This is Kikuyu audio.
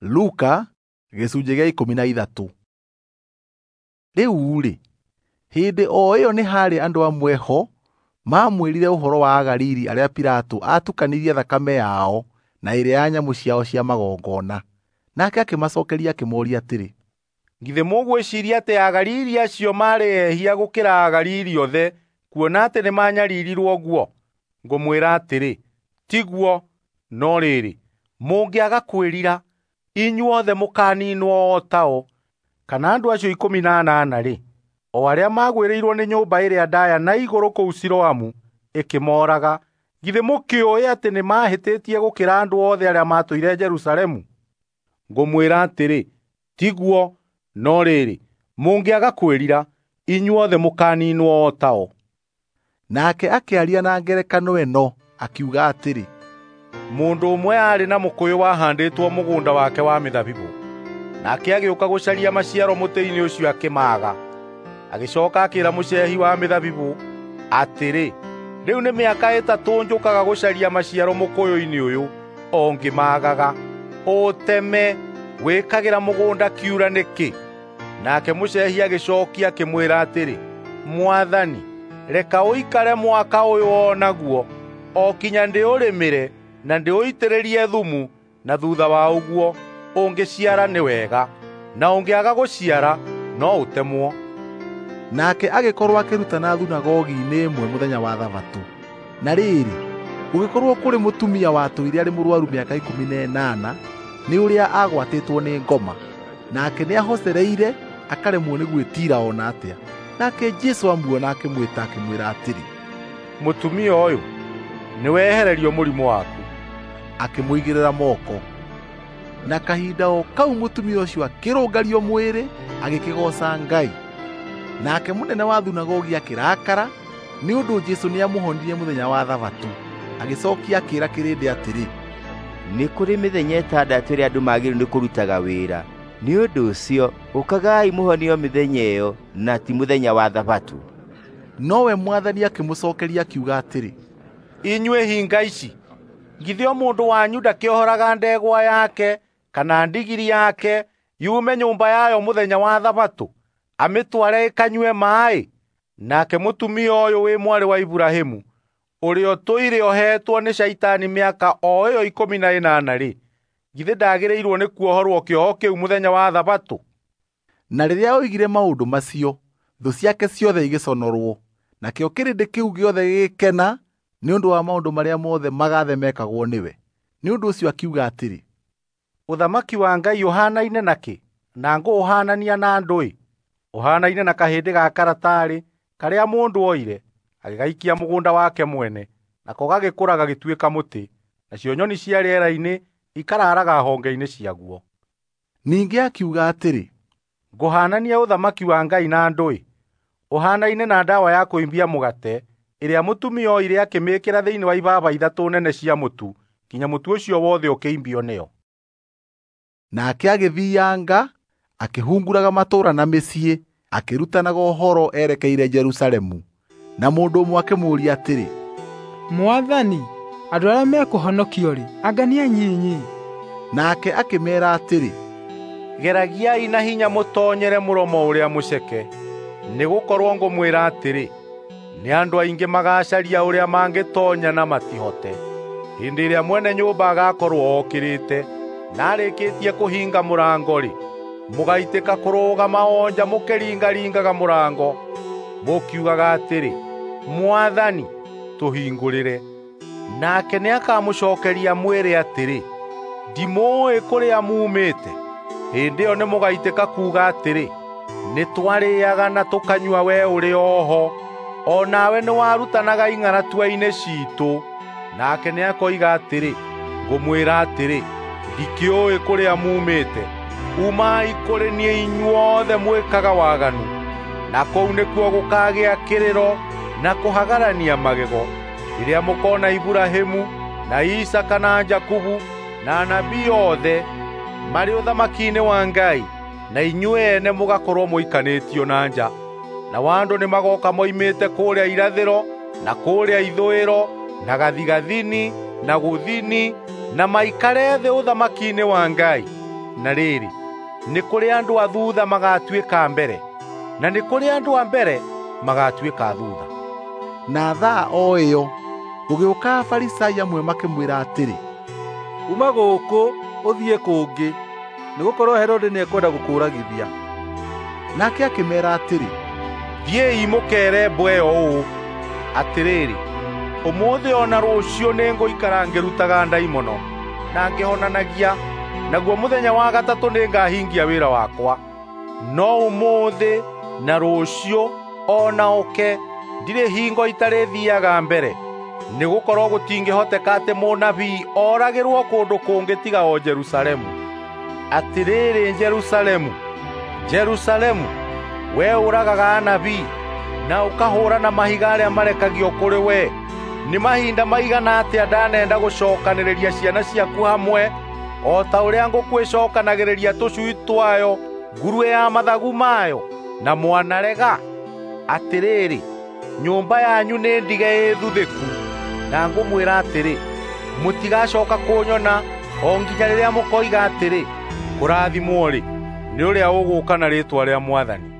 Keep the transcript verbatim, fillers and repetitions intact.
Luka gĩcunjĩ gĩa ikũmi na ithatũ. Rĩu-rĩ, hĩndĩ o ĩyo nĩ haarĩ andũ amwe ho maamwĩrire ũhoro wa Agalili arĩa Pilato aatukanirie thakame yao na ĩrĩa ya nyamũ ciao cia magongona. Nake akĩmacookeria akĩmooria atĩrĩ, Githĩ mũgwĩciiria atĩ Agalili acio maarĩ ehia gũkĩra Agalili othe kuona atĩ nĩmanyariirirwo ũguo? Ngũmwĩra atĩrĩ, tiguo, no rĩrĩ, mũngĩaga kwĩrira, inyuothe mũkaniinwo o tao. Kana andũ acio ikũmi na anana-rĩ, o arĩa maagwĩrĩirwo nĩ nyũmba ĩrĩa ndaaya na igũrũ kũu Siloamu ĩkĩmooraga, githĩ mũkĩũĩ atĩ nĩmahĩtĩtie gũkĩra andũ othe arĩa maatũire Jerusalemu? Ngũmwĩra atĩrĩ, tiguo, no rĩrĩ, mũngĩaga kwĩrira, inyuothe mũkaniinwo o tao. Nake akĩaria na ngerekano ĩno, akiuga atĩrĩ, Mũndũ ũmwe aarĩ na mũkũyũ wahandĩtwo mũgũnda wake wa mĩthabibũ. Nake agĩũka gũcaria maciaro mũtĩ-inĩ ũcio akĩmaaga. Agĩcooka akĩĩra mũcehi wa mĩthabibũ atĩrĩ, rĩu nĩ mĩaka ĩtatũ njũkaga gũcaria maciaro mũkũyũ-inĩ ũyũ, o ngĩmaagaga. Ũũteme, wĩkagĩra mũgũnda kiura nĩkĩ? Nake mũcehi agĩcookia akĩmwĩra atĩrĩ, Mwathani, reka ũikare mwaka ũyũ o naguo, o kinya ndĩũrĩmĩre na ndĩũitĩrĩrie thumu, na thutha wa ũguo ũngĩciara nĩ wega, na ũngĩaga gũciara no ũtemwo. Nake agĩkorwo akĩrutana thunagogi-inĩ ĩmwe mũthenya wa Thabatũ. Na rĩrĩ, gũgĩkorwo kũrĩ mũtumia watũire arĩ mũrwaru mĩaka ikũmi na ĩnana nĩ ũrĩa agwatĩtwo nĩ ngoma. Nake nĩahocereire akaremwo nĩ gwĩtiira o na atĩa. Nake Jesũ amuona akĩmwĩta akĩmwĩra atĩrĩ, Mũtumia ũyũ, nĩwehererio mũrimũ waku. Akĩmũigĩrĩra moko. Na kahinda o kau mũtumia ũcio akĩrũngario mwĩrĩ agĩkĩgooca Ngai. Nake mũnene wa thunagogi akĩrakara nĩ ũndũ Jesũ nĩamũhonirie mũthenya wa Thabatũ. Agĩcookia akĩĩra kĩrĩndĩ atĩrĩ, Nĩ kũrĩ mĩthenya ĩtandatũ ĩrĩa andũ magĩrĩirwo nĩ kũrutaga wĩra. Nĩ ũndũ ũcio ũkagai mũhonio mĩthenya ĩyo na ti mũthenya wa Thabatũ. Nowe Mwathani akĩmũcookeria akiuga atĩrĩ, Inyuĩ hinga ici, githĩ o mũndũ wanyu ndakĩohoraga ndegwa yake kana ndigiri yake yume nyũmba yayo mũthenya wa Thabatũ amĩtware ĩkanyue maaĩ? Nake mũtumia ũyũ wĩ mwarĩ wa Iburahĩmu, ũrĩa ũtũire ohetwo nĩ Shaitani mĩaka o ĩyo ikũmi na ĩnana-rĩ, githĩ ndagĩrĩirwo nĩ kuohorwo kĩoho kĩu mũthenya wa Thabatũ? Na rĩrĩa oigire maũndũ macio, thũ ciake ciothe igĩconorwo, nakĩo kĩrĩndĩ kĩu gĩothe gĩgĩkena nĩ ũndũ wa maũndũ marĩa mothe magathe mekagwo nĩwe. Nĩ ũndũ ũcio akiuga atĩrĩ, Ũthamaki wa Ngai ũhaanaine nakĩ? Na ngũũhaanania na ndũĩ? Ũhaanaine na kahĩndĩ ga karatarĩ karĩa mũndũ oire agĩgaikia mũgũnda wake mwene, nako gagĩkũra gagĩtuĩka mũtĩ, nacio nyoni cia rĩera-inĩ ikararaga honge-inĩ ciaguo. Ningĩ akiuga atĩrĩ, Ngũhaanania ũthamaki wa Ngai na ndũĩ? Ũhaanaine na ndawa ya kũimbia mũgate ĩrĩa mũtumia oire akĩmĩĩkĩra thĩinĩ wa ibaba ithatũ nene cia mũtu kinya mũtu ũcio wothe ũkĩimbio nĩyo. Nake agĩthianga akĩhunguraga matũũra na mĩciĩ, akĩrutanaga ũhoro erekeire Jerusalemu. Na mũndũ ũmwe akĩmũũria atĩrĩ, Mwathani, andũ arĩa mekũhonokio-rĩ, anga nĩ anyinyi? Nake akĩmeera atĩrĩ, Geragiai na hinya mũtoonyere mũromo ũrĩa mũceke, nĩgũkorwo ngũmwĩra atĩrĩ, nĩ andũ aingĩ magacaria ũrĩa mangĩtoonya na matihote. Hĩndĩ ĩrĩa mwene nyũmba agakorwo okĩrĩte na arĩkĩtie kũhinga mũrango-rĩ, mũgaitĩka kũrũgama o nja mũkĩringaringaga mũrango, mũkiugaga atĩrĩ, Mwathani, tũhingũrĩre. Nake nĩakamũcookeria mwĩre atĩrĩ, ndimũũĩ kũrĩa muumĩte. Hĩndĩ ĩyo nĩmũgaitĩka kuuga atĩrĩ, nĩtwarĩĩaga na tũkanyua we ũrĩ o ho, o nawe nĩwarutanaga ing'aratua-inĩ ciitũ. Nake nĩakoiga atĩrĩ, ngũmwĩra atĩrĩ, ndikĩũĩ kũrĩa muumĩte. Umai kũrĩ niĩ inyuothe mwĩkaga waganu. Na kũu nĩkuo gũkagĩa kĩrĩro na kũhagarania magego, rĩrĩa mũkona Iburahĩmu na Isaaka na Jakubu na anabii othe marĩ ũthamaki-inĩ wa Ngai, na inyuĩ ene mũgakorwo mũikanĩtio na nja. Na andũ nĩmagoka moimĩte kũrĩa irathĩro na kũrĩa ithũĩro na gathigathini na gũthini na maikare thĩ ũthamaki-inĩ wa Ngai. Na rĩrĩ, nĩ kũrĩ andũ a thutha magatuĩka mbere, na nĩ kũrĩ andũ a mbere magatuĩka a thutha. Na thaa o ĩyo gũgĩũka Afarisai amwe makĩmwĩra atĩrĩ, Uma gũkũ ũthiĩ kũngĩ, nĩgũkorwo Herode nĩekwenda gũkũũragithia. Nake akĩmeera atĩrĩ, Thiĩi mũkeere mbwe ĩyo ũũ, atĩrĩrĩ, ũmũthĩ o na rũciũ nĩngũikara ngĩrutaga ndaimono na ngĩhonanagia, naguo mũthenya wa gatatũ nĩngahingia wĩra wakwa. No ũmũthĩ na rũciũ o na ũke ndirĩ hingo itarĩthiiaga mbere, nĩgũkorwo gũtingĩhoteka atĩ mũnabii oragĩrwo kũndũ kũngĩ tiga o Jerusalemu. Atĩrĩrĩ Jerusalemu, Jerusalemu, wee ũragaga anabii na ũkahũũra na mahiga arĩa marekagio kũrĩ wee. Nĩ mahinda maigana atĩa ndanenda gũcookanĩrĩria ciana ciaku hamwe o ta ũrĩa ngũkũ ĩcookanagĩrĩria tũcui twayo nguruĩ ya mathagu mayo, na mwanarega? Atĩrĩrĩ, nyũmba yanyu nĩ ndige ĩthuthĩku, na ngũmwĩra atĩrĩ, mũtigacooka kũnyona o nginya rĩrĩa mũkoiga atĩrĩ, kũrathimwo-rĩ, nĩ ũrĩa ũgũũka na rĩĩtwa rĩa Mwathani.